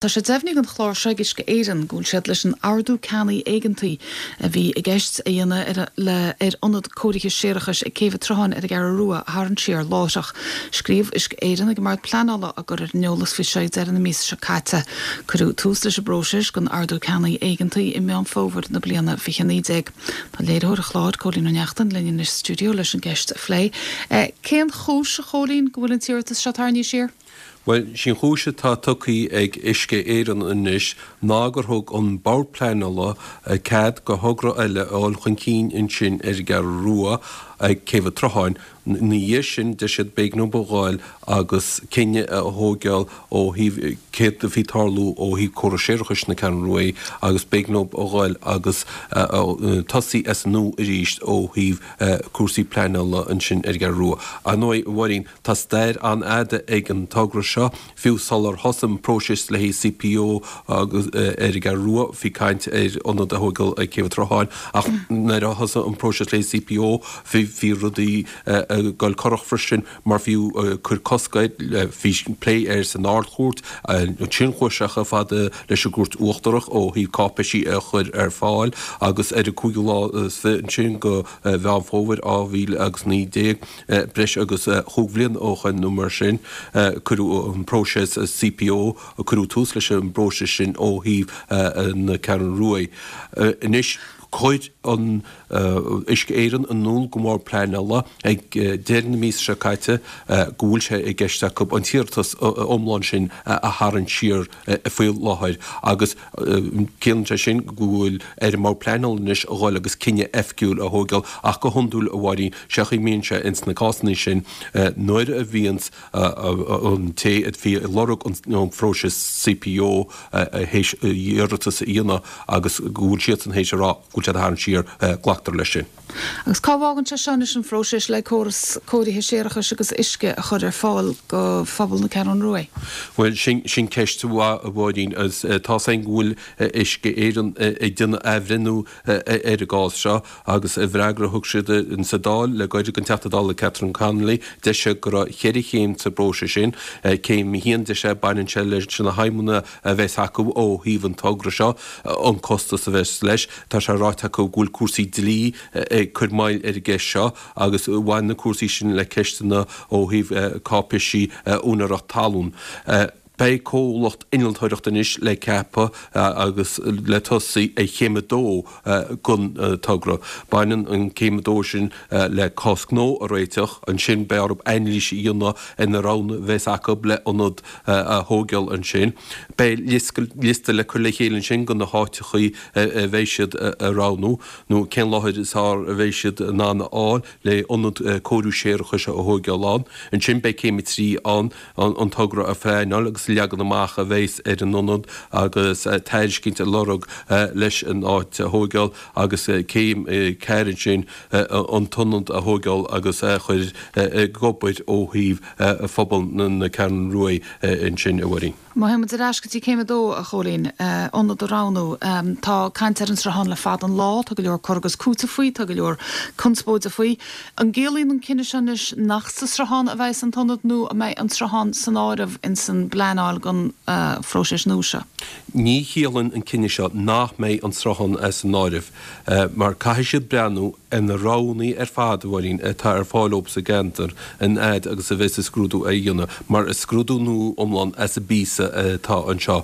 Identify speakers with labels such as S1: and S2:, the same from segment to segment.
S1: Tá sé deimhnithe don chlár seo ag Uisce Éireann go bhfuil siad leis an ardú ceannaigh éigeantaí a bhí i gceist a dhéanamh ar le ar ionad cóirithe séarachais ag Céibh an tSrutháin ar an gCeathrú Rua a tharraingt siar láithreach. Scríobh Uisce Éireann ag an mBord Pleanála á gcur ar an eolas faoi seo ag deireadh na míosa seo caite. Cuireadh tús leis an bpróiseas den ardú ceannaigh éigeantaí i Meán Fómhair na bliana 2019. Tá léiritheoir an chláir, Cóilín Ó Neachtain, linn anois sa stiúideo leis an gceist a phlé. Cén chúis, a Chóilín, go bhfuil an t-iarratas seo tarraingthe siar?
S2: Bhuel, sí an chúis atá tugtha ag Uisce Éireann anois ná gur thug an Bord Pleanála cead do thogra eile a dhul chun cinn ansin ar an gCeathrú Rua ag Céibh an tSrutháin. Ina dhiaidh sin, deir siad, b'éigean dóibh a ghoil agus cinneadh a thóigeáil ó thaobh céard a bhí ag tarlú ó thaobh córas séarachais na Ceathrún Rua agus b'éigean dóibh a ghoil agus tosaí as an nua arís ó thaobh cúrsaí pleanála ansin ar an gCeathrú Rua. Ar ndóigh, a Mháirín, Tá stair an-fhada ag an togra seo, fiú sular thosaigh an próiseas le haghaidh CPO agus ar an gCeathrú Rua, bhí caint ar ionad a thóigeáil ag Céibh an tSrutháin ach nuair a thosaigh an próiseas le haghaidh CPO bhí bhí rudaí ag dul corrach freisin mar fiú cuireadh cosc air, bhí plé air san Ard-Chúirt, ansin chuaigh sé chomh fada leis an gCúirt Uachtarach ó thaobh cáipéisí a chur ar fáil agus ar an cúigiú lá is fiche ansin de Mheán Fómhair 2019. Breis agus chúig bhliain ó shoin nó mar sin, cuireadh an próiseas CPO, cuireadh tús leis an bpróiseas sin ó thaobh na Ceathrún Rua. Anois, chuir an Uisce Éireann in iúl don Bhord Pleanála ag deireadh na míosa seo caite go bhfuil sé i gceist acu an t-iarratas iomlán sin a tharraingt siar faoi láthair agus Ciallaíonn sé sin go bhfuil ar an mBord Pleanála anois a dhul agus cinneadh oifigiúil a thóigeáil ach go hiondúil, a Mháirín, sé an chaoi a mbíonn sé ins na cásanna sin nuair a bhíonns an té a bhí ag lorg an phróisis CPO théis iarratas a dhéanamh agus go bhfuil siadsan théis a rá go bhfuil siad á tharraingt siar, glactar leis sin.
S1: Agus cá bhfágann sé seo anois an phróiseas le córas cóirithe séarachais agus uisce a chur ar fáil do phobal na Ceathrún Rua?
S2: Bhuel, sin ceist mhaith, a Mháirín, agus tá's againn go bhfuil Uisce Éireann ag déanamh athbhreithniú ar an gcás seo agus i bhfreagra a thug siad sa Dáil le gairid don Teachta Dála Catherine Connolly, deir sé go raibh cheithre chéim sa bpróiseas sin. Céim a haon, deir sé, baineann sé leis na haidhmeanna a bheas acu ó thaobh an togra seo, an costas a bheas leis. Tá sé ráite acu go bhfuil cúrsaí dlí ag cur moill ar an gceist seo agus bhain na cúrsaí sin le ceisteanna ó thaobh cáipéisí úinéireacht talún. Beidh comhlacht innealtóireachta anois le ceapadh agus le tosaí ar chéim a dó den togra. Baineann an céim a dó sin le cás gnó a réiteach. Ansin beidh orthu anailís a dhéanamh ar na roghanna a bheas acu le ionad a thóigeáil ansin. Beidh liosta le cur le chéile ansin de na háiteachaí a bheidh siad a roghnú, nó cén láthair is fearr a bheidh siad in ann a fháil le ionad cóiriú séarachais a thóigeáil ann. Ansin beidh céim a 3 ann, an togra a phleanáil agus leagan amach a bheas ar an ionad agus tairiscint a lorg leis an áit a thóigeáil agus céim 4 ansin, an t-ionad a thóigeáil agus a chur ag obair ó thaobh phobal na Ceathrún Rua ansin, a Mháirín.
S1: Má théann muid ar ais go dtí céim a dó, a Chóilín, ionad a roghnú. Tá caint ar an Sruthán le fada an lá, tá go leor cur agus cúiteamh faoi, tá go leor conspóide faoi. An gciallaíonn an cinneadh seo anois nach sa Sruthán a bheas an t-ionad nó an mbeidh an Sruthán san áireamh ins an bpleanáil don phróiseas nua seo?
S2: Ní chiallaíonn an cinneadh seo nach mbeidh an Sruthán as an áireamh mar caithfidh siad breathnú ar na roghanna ar fad, a Mháirín, atá ar fáil dóibh sa gceantar, an fhaid agus a bheas an scrúdú á dhéanamh, mar is scrúdú nua iomlán as an bpíosa atá anseo.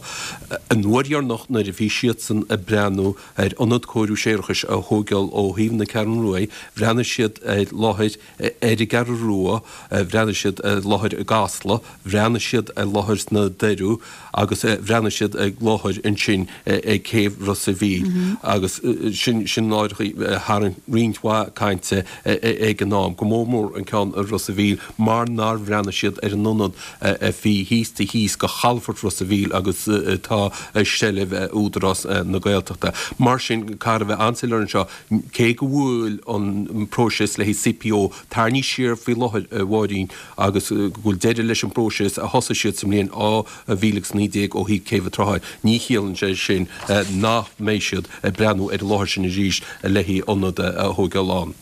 S2: An uair dheireanach nuair a bhí siadsan ag breathnú ar ionad cóiriú séarachais a thóigeáil ó thaobh na Ceathrún Rua, bhreathnaigh siad ar láthair ar an gCeathrú Rua, bhreathnaigh siad ar láthair i gCasla, bhreathnaigh siad ar láthair sna Doirí agus bhreathnaigh siad ar láthair ansin ag Céibh Ros a' Mhíl agus sin sin láithreacha a tharraing roinnt mhaith cainte ag an am, go mór mór an ceann i Ros a' Mhíl mar nár bhreathnaigh siad ar an ionad a bhí thíos taobh thíos de chalafort Ros a' Mhíl agus atá i seilbh Údarás na Gaeltachta. Mar sin, caithfear a bheith an-soiléir anseo, Cé go bhfuil an próiseas le haghaidh CPO tarraingthe siar faoi láthair, a Mháirín, agus go bhfuil deireadh leis an bpróiseas a thosaigh siad sa mbliain 2019 ó thaobh Céibh an tSrutháin, ní chiallaíonn sé sin nach mbeidh siad ag breathnú ar an láthair sin arís le haghaidh ionad a thóigeáil ann.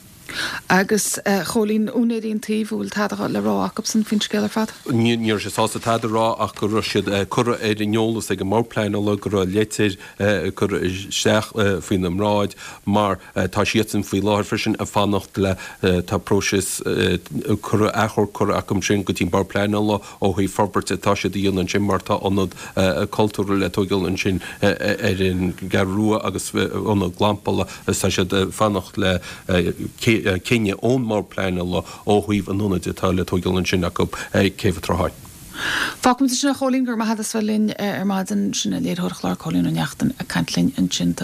S1: Agus a Chóilín, úinéirí an tsuímh, an bhfuil tada le rá acubsan faoin scéal ar fad?
S2: Ní raibh siad sásta tada a rá ach go raibh siad curtha ar an eolas ag an mBord Pleanála go raibh leitir curtha isteach faoina mbráid mar tá siadsan faoi láthair freisin ag fanacht le tá próiseas curtha achomharc curtha acu sin go dtí an Bord Pleanála ó thaobh forbairt atá siad a dhéanamh ansin mar tá ionad cultúrtha le tóigeáil ansin ar an gCeathrú Rua agus ionad glampála agus tá siad ag fanacht le cinneadh ón mBord Pleanála ó thaobh an ionaid atá le tóigeáil ansin acu ag Céibh an tSrutháin.
S1: Fágfaimid ansin é a Chóilín, go raibh maith agat as bheith linn ar maidin. Sin léiritheoir an chláir Cóilín Ó Neachtain ag caint linn ansin.